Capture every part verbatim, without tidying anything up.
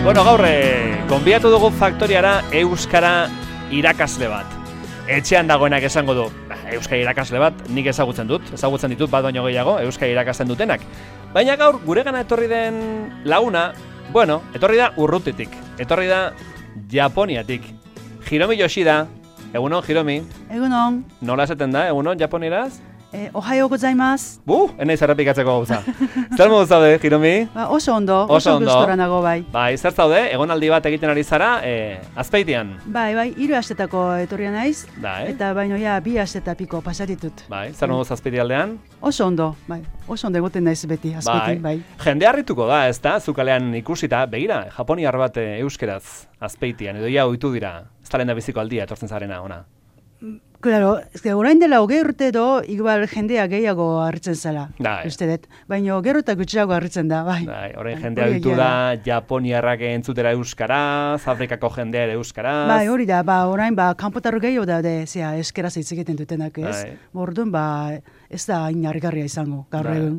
Bueno, gaur, gonbidatu dugu faktoriara euskara irakasle bat. Etxean dagoenak esango du, euskara irakasle bat, nik ezagutzen dut, ezagutzen ditut bat baino gehiago, euskara irakasten dutenak. Baina gaur, guregana etorri den laguna, bueno, etorri da urrutitik, etorri da Japoniatik. Hiromi Yoshida, egunon, Hiromi. Egunon. Nola esaten da, egunon, japonieraz? Eh, Ohayou gozaimasu. Bu, enaiz errepikatzeko gauza. Zer modu zaude, Hiromi? Ba, oso ondo, oso, oso ondo. gustora nago bai. Bai, zer zaude, egonaldi bat egiten ari zara, eh, Azpeitian. Bai, bai, hiru astetako etorria naiz, Bai. eta baino ja bi asteta piko pasatitut. Bai, zer modu Azpeiti aldean? Oso ondo, bai, oso ondo egoten naiz beti, Azpeitin, bai. Jende harrituko da, ez da, zukalean ikusita, begira, japoniar bat eh, euskeraz Azpeitian, edo ja ohitu dira, ez da lehen da biziko aldia etortzen zarena ona. Claro, ez que orain dela hogei urte edo, igual jendea gehiago harritzen zela, Bai. uste dut. Baina gero eta gutxiago harritzen da, bai. Bai, orain Bai, jendea hori ohitu egia da, japoniarrak entzutera euskaraz, Afrikako jendea ere euskaraz. Bai, hori da, ba, orain, ba, kanpotarro gehiago daude, zera, eskeraz hitz egiten dutenak, ez? Bai. Orduan, ba, ez da hain harrigarria izango, gaur Bai. egun.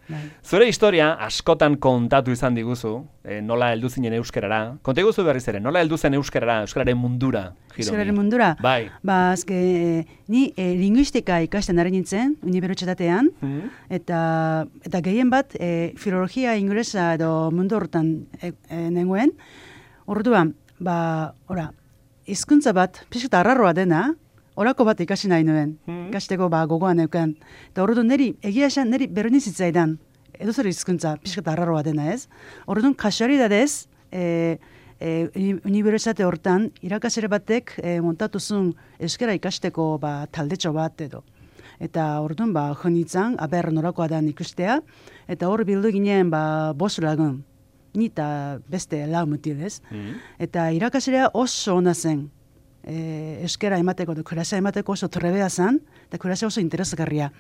Bai. Zure historia askotan kontatu izan diguzu, eh, nola heldu zinen euskarara. Konta iguzu berriz ere, nola heldu zen euskarara, euskararen mundura, Hiromi? Euskararen mundura? Bai. Ba, azke, ni e, linguistika ikasten ari nintzen, unibertsitatean, Mhm. eta, eta gehien bat, e, filologia inglesa edo mundu horretan e, e, nengoen. Orduan, ba, ora, hizkuntza bat, pixka arraroa dena, orako bat ikasi nahi nuen, Mhm. ikasteko ba, gogoan neukan. Eta orduan, niri, egia esan, niri berdin zitzaidan, edo zer hizkuntza, pixka arraroa dena ez. Orduan, kasualidadez, e, e, uni- unibertsitate hortan, irakasle batek e, montatu zuen euskara ikasteko ba, taldetxo bat edo. Eta orduan, ba, jo nintzen, aber norakoa da ikustea, eta hor bildu ginen, ba, bost lagun, ni eta beste lau mutil ez. Mhm. Eta irakaslea oso ona zen, e, euskara emateko, edo klasea emateko oso trebea zen, eta klasea oso interesgarria.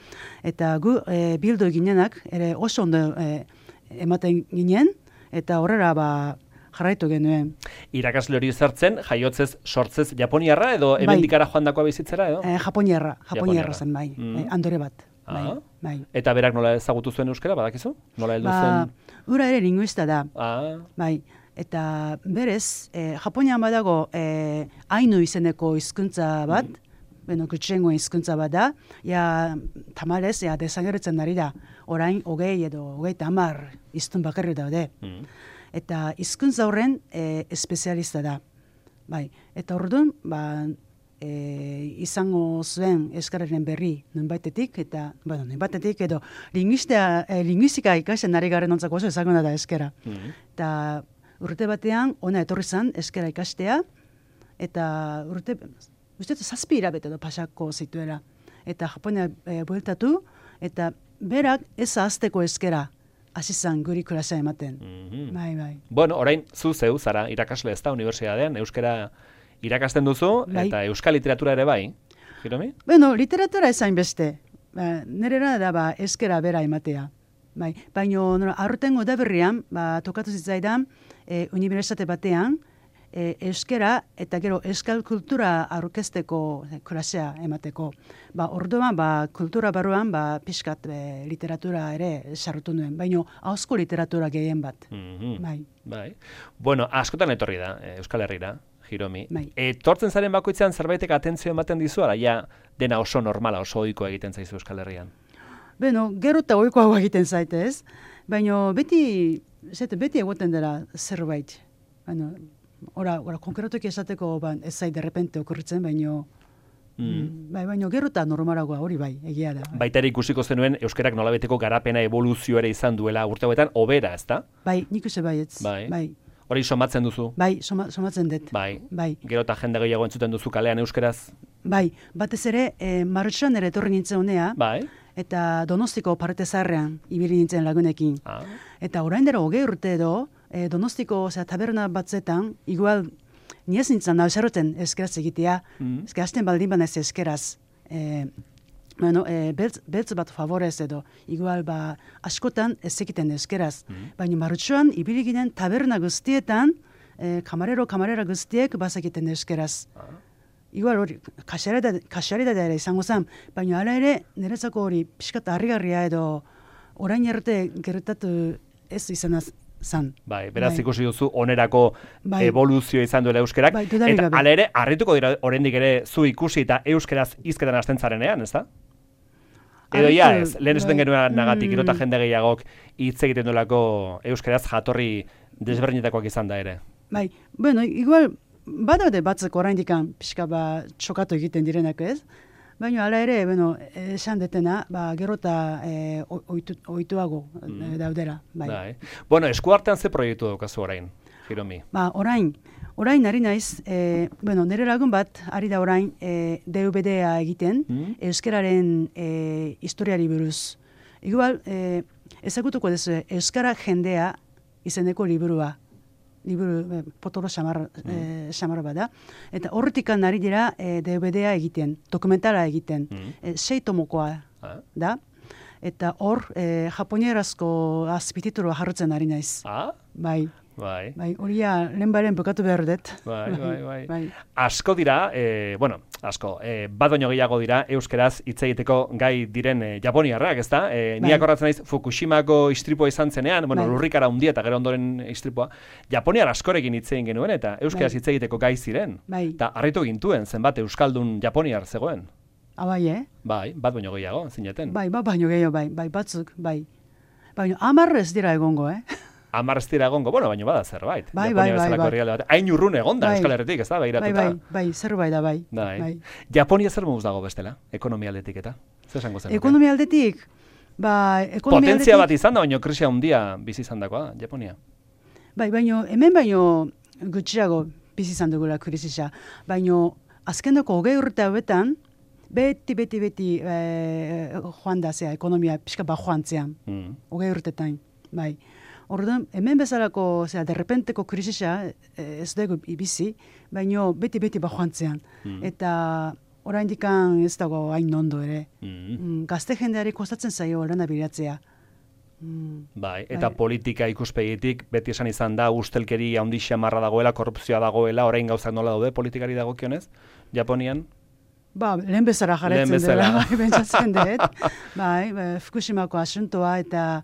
Eta gu e, bildu ginenak, ere oso ondo e, ematen ginen, eta horrela ba, jarraitu genuen. Irakasle hori zertzen, jaiotzez, sortzez Japoniarra edo Bai. hemendik joandakoa bizitzera edo? E, Japoniarra, Japoniarra. Japoniarra zen bai, Mm. e, andore bat. Bai, Ah. bai. Eta berak nola ezagutu zuen euskara, badakizu? Nola heldu Ba, zen? ura ere linguista da, Ah, bai. Eta berez, e, Japonian badago e, Ainu izeneko hizkuntza bat, bueno, gutxiengo hizkuntza bat da, ja, tamalez, ja, desagertzen ari da, orain, hogei edo hogei tamar hiztun bakarri daude. mm. Eta hizkuntza horren e, espezialista da. Bai, eta orduan, ba, e, izango zuen euskararen berri nonbaitetik, eta, bueno, nonbaitetik edo linguistia, e, linguistika ikasten ari garen ontzako oso ezaguna da euskara. Mm. Eta urte batean, ona etorri zen euskara ikastea, eta urte, uste dut zazpi hilabete edo pasako zituela. Eta Japonia e, bueltatu, eta berak ez ahazteko euskara hasi zen guri klasea ematen. Mhm. Bai, bai. Bueno, orain zu zeu zara irakasle ez da unibertsitatean, euskara irakasten duzu, Bai. eta euskal literatura ere bai, Hiromi? Bueno, literatura ezain beste. Ba, nerera da ba, euskara bera ematea. Bai, baina aurtengo udaberrian, ba, tokatu zitzaidan, e, unibertsitate batean, e, euskara eta gero euskal kultura aurkezteko e, klasea emateko. Ba, orduan, ba, kultura barruan, ba, pixkat e, literatura ere sartu nuen, baina ahozko literatura gehien bat. Mhm. Bai. Bai. Bueno, askotan etorri da, eh, Euskal Herrira, Hiromi. Bai. Etortzen zaren bakoitzean zerbaitek atentzio ematen dizu, ala ja dena oso normala, oso ohikoa egiten zaizu Euskal Herrian. Beno, gero eta ohikoago egiten zaite ez, baina beti, zete, beti egoten dela zerbait. Bueno, ora, ora konkretuki esateko ba, ez zait derrepente okurritzen, baina Mm. bai, baina gero eta normalagoa hori bai, egia da. Baita ere ikusiko zenuen euskerak nolabeteko garapena evoluzio ere izan duela urte hauetan hobera, ezta? Bai, nik uste baietz. Bai. Bai, Hori somatzen duzu. bai soma, somatzen dut. Bai. Bai, Gero eta jende gehiago entzuten duzu kalean euskeraz. bai, batez ere, e, martxoan ere etorri nintzen honea, Bai. eta Donostiko parte zaharrean ibili nintzen lagunekin. Ah. Eta orain dela hogei urte edo, e, Donostiko osea, taberna batzetan, igual, ni ez nintzen nauzaroten eskeraz egitea, Mm. eske hasten baldin banez eskeraz. E, bueno, e, beltz, beltz bat favorez edo, igual ba, askotan ez egiten eskeraz. Mm. Baina martxoan, ibili ginen taberna guztietan, e, kamarero, kamarera guztiek bazakiten eskeraz. Ah. Igual hori, kasualitatea ere izango zen, baina hala ere, niretzako hori pixkat harrigarria edo orain arte gertatu ez izanaz zan. Bai, beraz Bai. ikusi duzu onerako Bai. evoluzio izan duela euskerak. Bai, dudarik eta gabe. hala ere, harrituko dira oraindik ere zu ikusi eta euskeraz hizketan hasten zarenean, ezta? Edo ja Harritu, ez, lehen esaten bai. genuen nagatik, gero eta Mm. jende gehiagok hitz egiten duelako euskeraz jatorri desberdinetakoak izan da ere. Bai, bueno, igual, badaude batzuk oraindikan pixka ba txokatu egiten direnak ez, baina hala ere, bueno, esan detena, ba, gero eta e, oitu, oituago mm. daudera. Bai. Bai. Bueno, eskuartean ze proiektu daukazu orain, Hiromi? Ba, orain, orain ari naiz, e, bueno, nire lagun bat, ari da orain, e, D V D-a egiten, Mm. euskararen e, historiari buruz. Igual, e, ezagutuko dezu, euskara jendea izeneko liburua. Liburu, e, potolo xamar, e, xamar bada. Eta horretikan ari dira e, D V D-a egiten, dokumentala egiten. Mm. E, sei tomokoa Ah. da. Eta hor, e, japonierazko azpititulua jarrutzen ari naiz. Ah? Bai. Bai. Bai, horia lehenbaren bukatu behar dut. Bai, bai, bai. Asko dira, e, bueno, asko, e, bat baino gehiago dira euskeraz hitz egiteko gai diren e, japoniarrak, ezta? E, Bai. Ni akordatzen naiz Fukushimako istripua izan zenean, bueno, Bai. lurrikara handia eta gero ondoren istripua, japoniar askorekin hitz egin genuen eta euskeraz Bai. hitz egiteko gai ziren. Bai. Eta harritu gintuen zenbat euskaldun japoniar zegoen. Ah, bai, eh? Bai, bat baino gehiago, zineten. Bai, ba, baino gehiago, bai, bai, batzuk, bai. Baina hamar ez dira egongo, eh? Hamar ez dira egongo, bueno, baino bada zerbait. Bai, Japonia bai, bai, bezalako bai. herrialde bat. Hain urrun egon da Bai. Euskal Herritik, ez da, Bai, behiratuta. bai, bai, zerbait da, bai. Bai. Bai. Japonia zer moduz dago bestela, ekonomia aldetik eta? Zer esango zen? Ekonomia aldetik, ba, ekonomia Potentzia bat aldetik, izan da, baino krisia handia bizi izan dakoa, Japonia. bai, baino, hemen baino gutxiago bizi izan dugula krisisa. Baino, azkeneko hogei urte hauetan, beti, beti, beti e, joan da, zea, ekonomia pixka ba joan zean. Mm. Hogei urtetan, bai. Orduan, hemen bezalako, zera, derrepenteko krisisa eh, ez dugu bizi, baino beti-beti bajoantzean. Mm. Eta oraindikan ez dago hain ondo ere. Mm. Mm, gazte jendeari kostatzen zaio lana bilatzea. Mm, Bai, eta Bai. politika ikuspegitik beti esan izan da ustelkeri handi xamarra dagoela, korrupzioa dagoela, orain gauzak nola daude politikari dagokionez, Japonian? ba, lehen bezala Lehen jarretzen bezala. dela, bai, bentsatzen dut. Bai, ba, Fukushimako asuntoa eta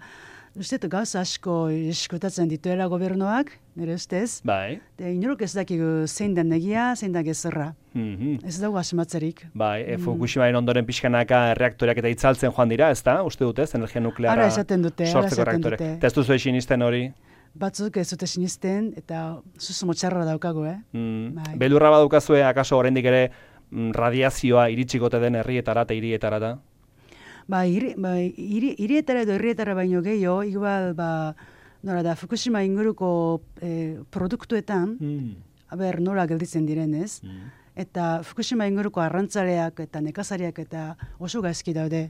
uste dut gauza asko eskutatzen dituela gobernuak, nire ustez. Bai. Eta inorok ez dakigu zein den negia, zein da gezurra. Mhm. Ez dago asmatzerik. Bai, e, Fukushimaren ondoren pixkanaka reaktoreak eta itzaltzen joan dira, ezta? Uste dutez, energia nukleara Ara esaten dute, ara sortzeko esaten reaktore. dute. Eta ez duzu esinisten hori? Batzuk ez dute sinisten, eta zuzu motxarra daukagu, eh? Mm. Bai. Beldurra badukazue, akaso oraindik ere mm, radiazioa iritsikote den herrietara eta hirietara da? Ba, hiri, ba, hiri, hirietara edo herrietara baino gehiago, igual, ba, nola da, Fukushima inguruko eh, produktuetan, Mm. aber nola gelditzen direnez, Mm. eta Fukushima inguruko arrantzaleak eta nekazariak eta oso gaizki daude.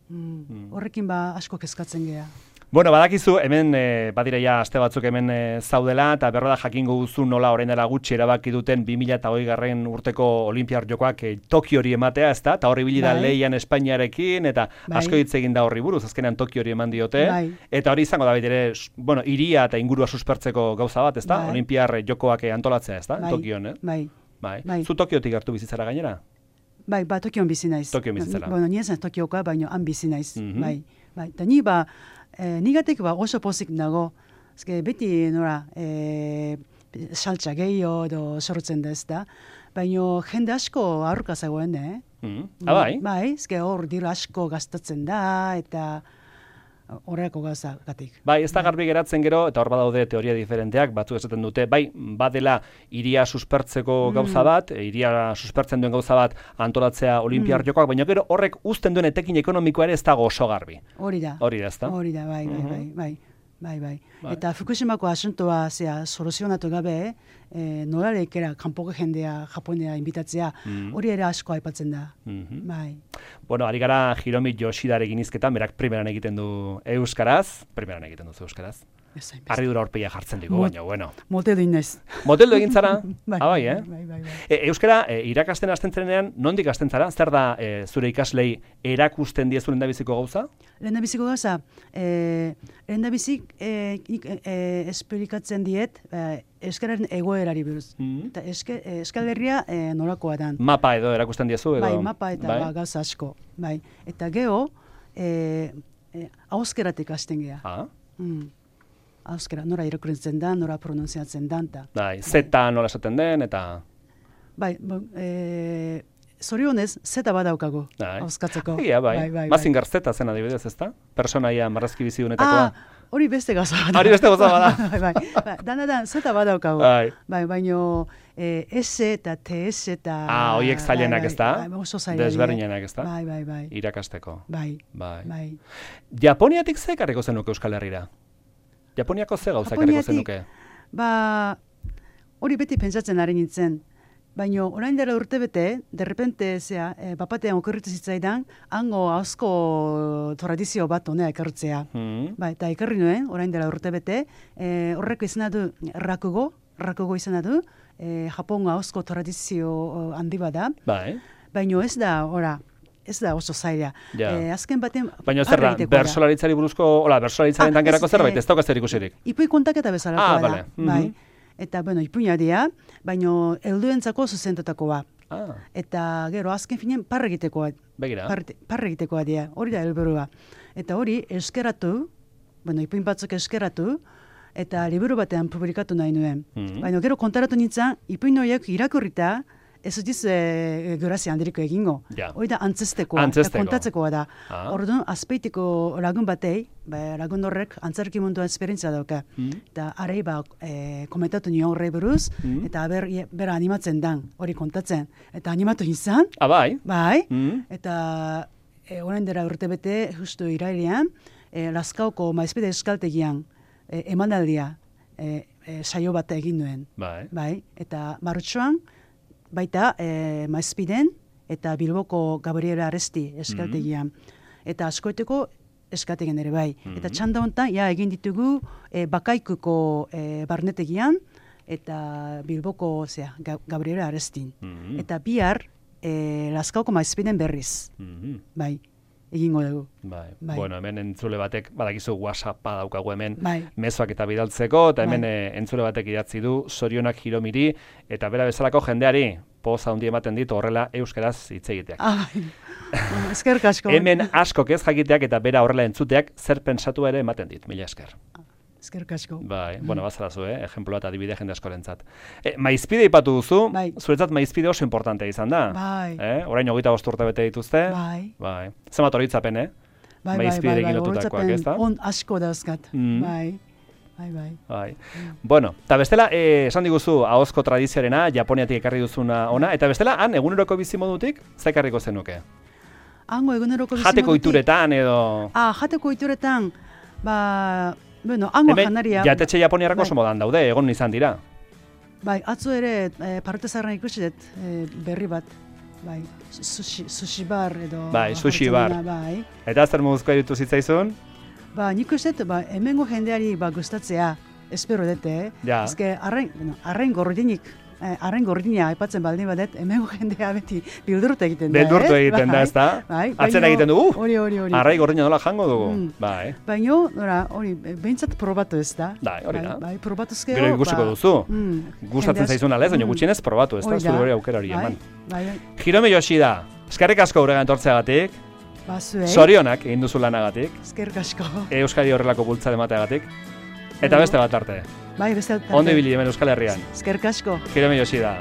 Mm. Mm. Horrekin ba asko kezkatzen gea. Bueno, badakizu, hemen e, badira ja aste batzuk hemen e, zaudela, eta berro da jakingo duzu nola orain dela gutxi erabaki duten bi mila hogei garren urteko Olinpiar Jokoak e, Tokiori ematea, ezta? Eta horri bili da Bai. lehian Espainiarekin, eta Bai. asko hitz egin da horri buruz, azkenean Tokiori eman diote. Bai. Eta hori izango da bait ere, s- bueno, hiria eta ingurua suspertzeko gauza bat, ezta? Bai. Olinpiar Jokoak e, antolatzea, ezta? Bai. Tokion, eh? Bai. Bai. Bai. Zu Tokiotik hartu bizitzara gainera? Bai, ba, Tokion bizi naiz. Tokion bizi zara. Bueno, ni ez naiz Tokioka, baina han bizi naiz. Mhm. Bai, bai. Eta ni ba, eh, nigatik ba oso pozik nago. Eske beti nora, eh, saltza gehiago edo sortzen da ez da. Baina jende asko aurka zegoen, eh? Mm. Ah, bai? Bai, eske hor diru asko gastatzen da, eta horreko gauzagatik. Bai, ez da garbi geratzen gero, eta hor badaude teoria diferenteak, batzuk esaten dute, bai, badela iria suspertzeko gauza bat, e, iria suspertzen duen gauza bat antolatzea Olinpiar Jokoak, baina gero horrek uzten duen etekin ekonomikoa ere ez dago oso garbi. Hori da. Hori da, ezta? Hori da, bai, bai, Mhm. bai, bai. Bai, bai. Bai. Eta Fukushimako asuntoa zea soluzionatu gabe, eh, nolalekera kanpoko jendea Japonea inbitatzea, Mhm. hori ere asko aipatzen da. Mhm. Bai. Bueno, ari gara Hiromi Yoshidarekin hizketan, berak primeran egiten du euskaraz, primeran egiten duzu euskaraz. Ez hainbeste. Harridura horpeia jartzen digu, Mot- baina, bueno. Moteldu inez. Moteldu egin zara? Bai, Ah, bai, eh? bai, bai, bai. E, euskara, e, irakasten hasten zenean, nondik hasten zara? Zer da e, zure ikaslei erakusten diezu lehendabiziko gauza? Lehendabiziko gauza, eh, lehendabizik eh, nik, eh, esplikatzen diet eh, euskararen egoerari buruz. Mhm. Eta eske, eh, Euskal Herria eh, nolakoa dan. Mapa edo erakusten diezu? Edo, Bai, mapa eta bai? ba, gauza asko. Bai. Eta geho, eh, eh, auskeratik hasten gea. Ah, Mm. Euskara, nora irakurtzen da, nora pronunziatzen da. Da. Bai, zeta nola esaten den, eta... Bai, e, zorionez, zeta badaukagu, hauskatzeko. Ia, bai, bai, bai Mazinger zeta zen adibidez, ezta? Personaia marrazki bizi honetakoa. Ah, hori beste gauza bada. Hori beste gauza bada. bai, bai, bai, dana da, zeta badaukagu. Bai. Bai, baino, e, S eta T S eta... Ah, horiek zailenak ez da? Bai, oso zailenak. Desberdinenak ez da? Bai, bai, bai. Irakasteko. Bai, bai. bai. Japoniatik ze ekarriko zenuke Euskal Herrira? Japoniako ze gauza ekarriko zenuke? Ba, hori beti pentsatzen ari nintzen. Baina orain dela urte bete, derrepente, zea, e, bapatean okurritu zitzaidan, hango asko tradizio bat honea ekartzea. Mm. Ba, eta ekarri nuen, orain dela urte bete, e, horreko izan du rakugo, rakugo izan du, e, Japongo asko tradizio handi bada. Bai. Baina ez da, ora, ez da oso zaila. Ja. E, azken baten... Baina zer da, bersolaritzari buruzko, hola, bersolaritzaren ah, tangerako zerbait, ez daukaz zer ikusirik? Ipui kontaketa bezalakoa ah, da. Vale. Mm-hmm. Bai. Eta, bueno, ipuina dira, baina helduentzako zuzentutakoa. Ah. Eta gero, azken finean, parre egitekoa. Begira. Parre egitekoa dira, hori da helburua. Eta hori, eskeratu, bueno, ipuin batzuk eskeratu, eta liburu batean publikatu nahi nuen. Mm-hmm. Baina gero kontaratu nintzen, ipuin horiek irakurrita, ez diz e, grazia handiriko egingo. Ja. Hori da antzestekoa, Antzesteko. kontatzekoa da. Ah. Orduan, azpeitiko lagun batei, ba, lagun horrek antzerki munduan esperientzia dauka. Mm. Eta arei ba, e, komentatu nion horrei buruz, mm. eta ber, bera animatzen dan, hori kontatzen. Eta animatu izan. Ah, bai? Bai. Mm. Eta e, orain dela urte bete, justu irailean, e, Lazkaoko maizpide eskaltegian e, emanaldia e, e, saio bat egin nuen. Bai. Bai. Eta martxoan, baita e, Maizpiden eta Bilboko Gabriela Aresti eskaltegian. Mm-hmm. Eta askoiteko eskategian ere bai. Mm-hmm. Eta txanda honetan, ja, egin ditugu e, Bakaikuko e, barnetegian eta Bilboko zea, Gabriela Arestin. Mm-hmm. Eta bihar e, Lazkaoko Maizpiden berriz. Mm-hmm. Bai. Egingo dugu. Bai. Bai. Bueno, hemen entzule batek, badakizu WhatsAppa daukagu hemen, bai. mezuak eta bidaltzeko, eta hemen bai. e, entzule batek idatzi du, zorionak Jiromiri, eta bera bezalako jendeari, poza handi ematen ditu horrela euskaraz hitz egiteak. Ah, bueno, eskerrik asko. Hemen askok ez jakiteak eta bera horrela entzuteak zer pentsatu ere ematen dit, mila esker. Eskerrik asko. Bai, bueno, bazarazu, eh? Ejemplo bat adibide jende askorentzat. E, maizpide ipatu duzu, bai. Zuretzat maizpide oso importantea izan da. Bai. Eh? Orain hogeita bost urte bete dituzte. Bai. Bai. Zenbat horitzapen, eh? Bai, maizpiderekin bai, bai, lotutakoak, ez da? On asko dauzkat. Mm. Bai. Bai, bai. Bai. Mm. Bueno, eta bestela, eh, esan diguzu, ahozko tradizioarena, Japoniatik ekarri duzuna ona, eta bestela, han, eguneroko bizimodutik, zekarriko zenuke? Hango eguneroko bizimodutik? Jateko ituretan, edo... Ah, jateko ituretan, ba... Bueno, hango janaria... Jatetxe japoniarrako bai. Oso modan daude, egon izan dira. Bai, atzo ere, e, parte zarran ikusi dut, e, berri bat. Bai, sushi, sushi bar edo... Bai, sushi bar. Bai. Eta zer muzkoa ditu zitzaizun? Ba, nik uste dut, ba, hemengo jendeari ba, gustatzea, espero dute, eh? Ja. Ezke, arrain, bueno, arrain gordinik, eh, arrain gordina aipatzen baldin badet, hemengo jendea beti bildurtu egiten da, Beldurtu eh? egiten da, ez da? Bai, atzera egiten dugu, hori, hori, hori. Arrai gordina nola jango dugu, mm. bai. Baina, hori, behintzat probatu ez da. Bai, hori da. Bai, probatuzkeo, gero ikusiko ba, duzu. Mm, gustatzen zaizun alez, baina mm, gutxienez probatu, ez da? Zure hori aukera hori bai, eman. Bai, bai. Hirome Yoshida, eskerrik asko guregan etortzeagatik. Ba, zuei. Zorionak egin duzu lanagatik. Eskerrik asko. Euskadi horrelako bultza emateagatik. Eta beste bat arte. Bai, beste bat arte. Ondo ibili hemen Euskal Herrian. Eskerrik asko. Hirome Yoshida.